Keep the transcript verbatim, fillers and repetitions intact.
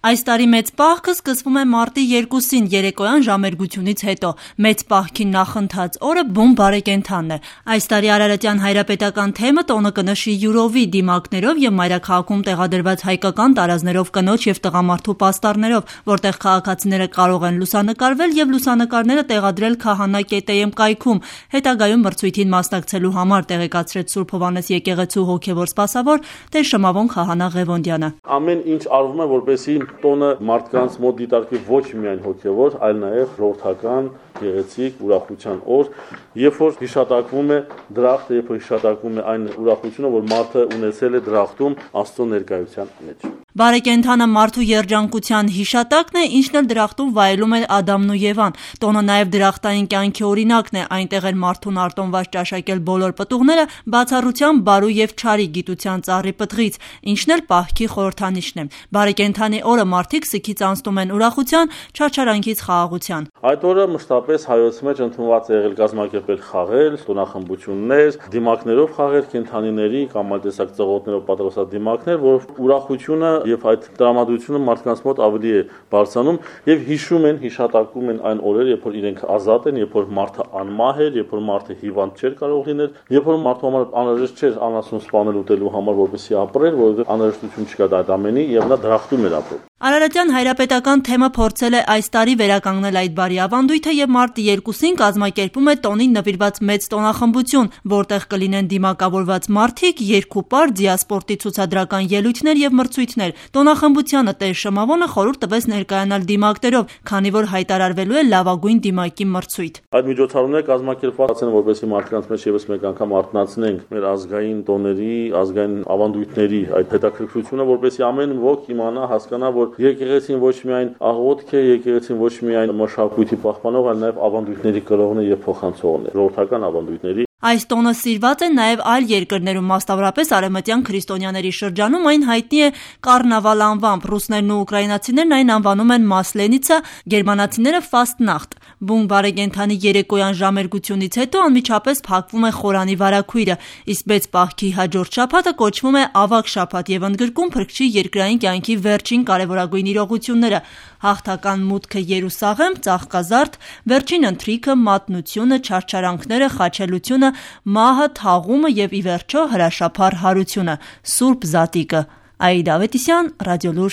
Այս տարի մեծ պահքը սկսվում է մարտի երկուսին երեկոյան ժամերգությունից հետո։ Մեծ պահքի նախընթաց օրը բուն բարեկենդանն է։ Այս տարի Արարատյան հայրապետական թեմը տոնը կնշի յուրովի դիմակներով եւ մայրաքաղաքում տեղադրված հայկական տարազներով կնոջ եւ տղամարդու պաստառներով, որտեղ քաղաքացիները կարող են լուսանկարվել եւ լուսանկարները տեղադրել Քահանա Կետեյեմ կայքում։ Հետագայում մրցույթին մասնակցելու համար տեղեկացրեց Սուրբ Հովհաննես եկեղեցու հոգեվոր սպասավոր Տեր Շմավոն Քահանա Ղևոնդյանը։ Ամեն ինչ արվում է որպեսզի տոնը մարդկանց մոտ դիտարկվի ոչ միայն հոգևոր, այլ նաև ժողովրդական, գեղեցիկ, ուրախության օր, երբ որ հիշատակվում է դրախտը, երբ որ հիշատակվում է այն ուրախությունը, որ մարդը ունեցել է դրախտում Աստծո ներկայության մեջ։ Բարեկենդանը մարդու երջանկության հիշատակն է, ինչն էլ դրախտում վայելում է Ադամն ու Եվան։ Տոնը նաև դրախտային կյանքի օրինակն է, այնտեղ էր մարդուն արտոնված ճաշակել բոլոր պտուղները, բացառությամբ բարու եւ չարի գիտության ծառի պտղից, ինչն էլ պահքի խորհրդանիշն է։ Բարեկենդանի օրը մարդիկ սգից անցնում են ուրախության, չարչարանքից խաղաղության։ Այդ օրը մշտապես հայոց մեջ ընդունված է եղել կազմակերպել խաղեր, տոնախմբություններ, դիմակներով խաղեր, կենդանիների կամ այլ տեսակ ծղոտներով պատրաստած դիմակներ, որ ուրախությունը եւ այդ տրամադրությունը մարդկանց մոտ ավելի է բարձրանում եւ հիշում են, հիշատակում են այն օրերը, երբ որ իրենք ազատ են, երբ որ մարդը անմահ էր, երբ որ մարդը հիվանդ չէր կարող լինել, երբ որ մարդու համար անհրաժեշտ չէր անասուն սպանել ուտելու համար, որպեսզի ապրեր, որովհետեւ անհրաժեշտություն չկա այդ ամենի եւ նա դրախտում էր ապրում։ Արարատյան հայրապետական թեմը փորձել է այս տարի վերականգնել այդ բարի ավանդույթը եւ մարտի երկուսին կազմակերպում է տոնին նվիրված մեծ տոնախմբություն, որտեղ կլինեն դիմակավորված մարդիկ, երկուպար, դիասպորտի ցուցադրական ելույթներ եւ մրցույթներ։ Տոնախմբությանը Տեր Շմավոնը խորհուրդ տվեց ներկայանալ դիմակներով, քանի որ հայտարարվելու է լավագույն դիմակի մրցույթ։ Այդ միջոցառումները կազմակերպված են, որպեսզի մարդկանց մեջ եւս մեկ անգամ արթնացնենք մեր ազգային տոների, ազգային ավանդույթների այդ հետաքրքրությունը, որպեսզի ամեն ոք իմանա, հասկանա, որ եկեղեցին ոչ միայն աղոթք է, եկեղեցին ոչ միայն մշակույթի պահպանող, այլ նաեւ ավանդույթների կրողն է եւ փոխանցողն է, ժողովրդական ավանդույթների։ Այս տոնը սիրված է նաև այլ երկրներում, մասնավորապես արևմտյան քրիստոնյաների շրջանում այն հայտնի է Կառնավալ անվամբ, ռուսներն ու ուկրաինացիներն այն անվանում են Մասլենիցա, գերմանացիները Ֆաստնախտ։ Բուն բարեկենդանի երեկոյան ժամերգությունից հետո անմիջապես փակվում է խորանի վարագույրը, իսկ մեծ պահքի հաջորդ շաբաթը կոչվում է Ավագ շաբաթ եւ ընդգրկում Փրկչի երկրային կյանքի վերջին կարևորագույն իրողությունները՝ հաղթական մուտքը Երուսաղեմ, ծաղկազարդ, վերջին ընթրիքը, մատնությունը, չարչարանքները, խաչելությունը, մահը, թաղումը եւ ի վերջո հրաշափառ հարությունը, Սուրբ Զատիկը։ Աիդա Ավետիսյան, Ռադիոլուր։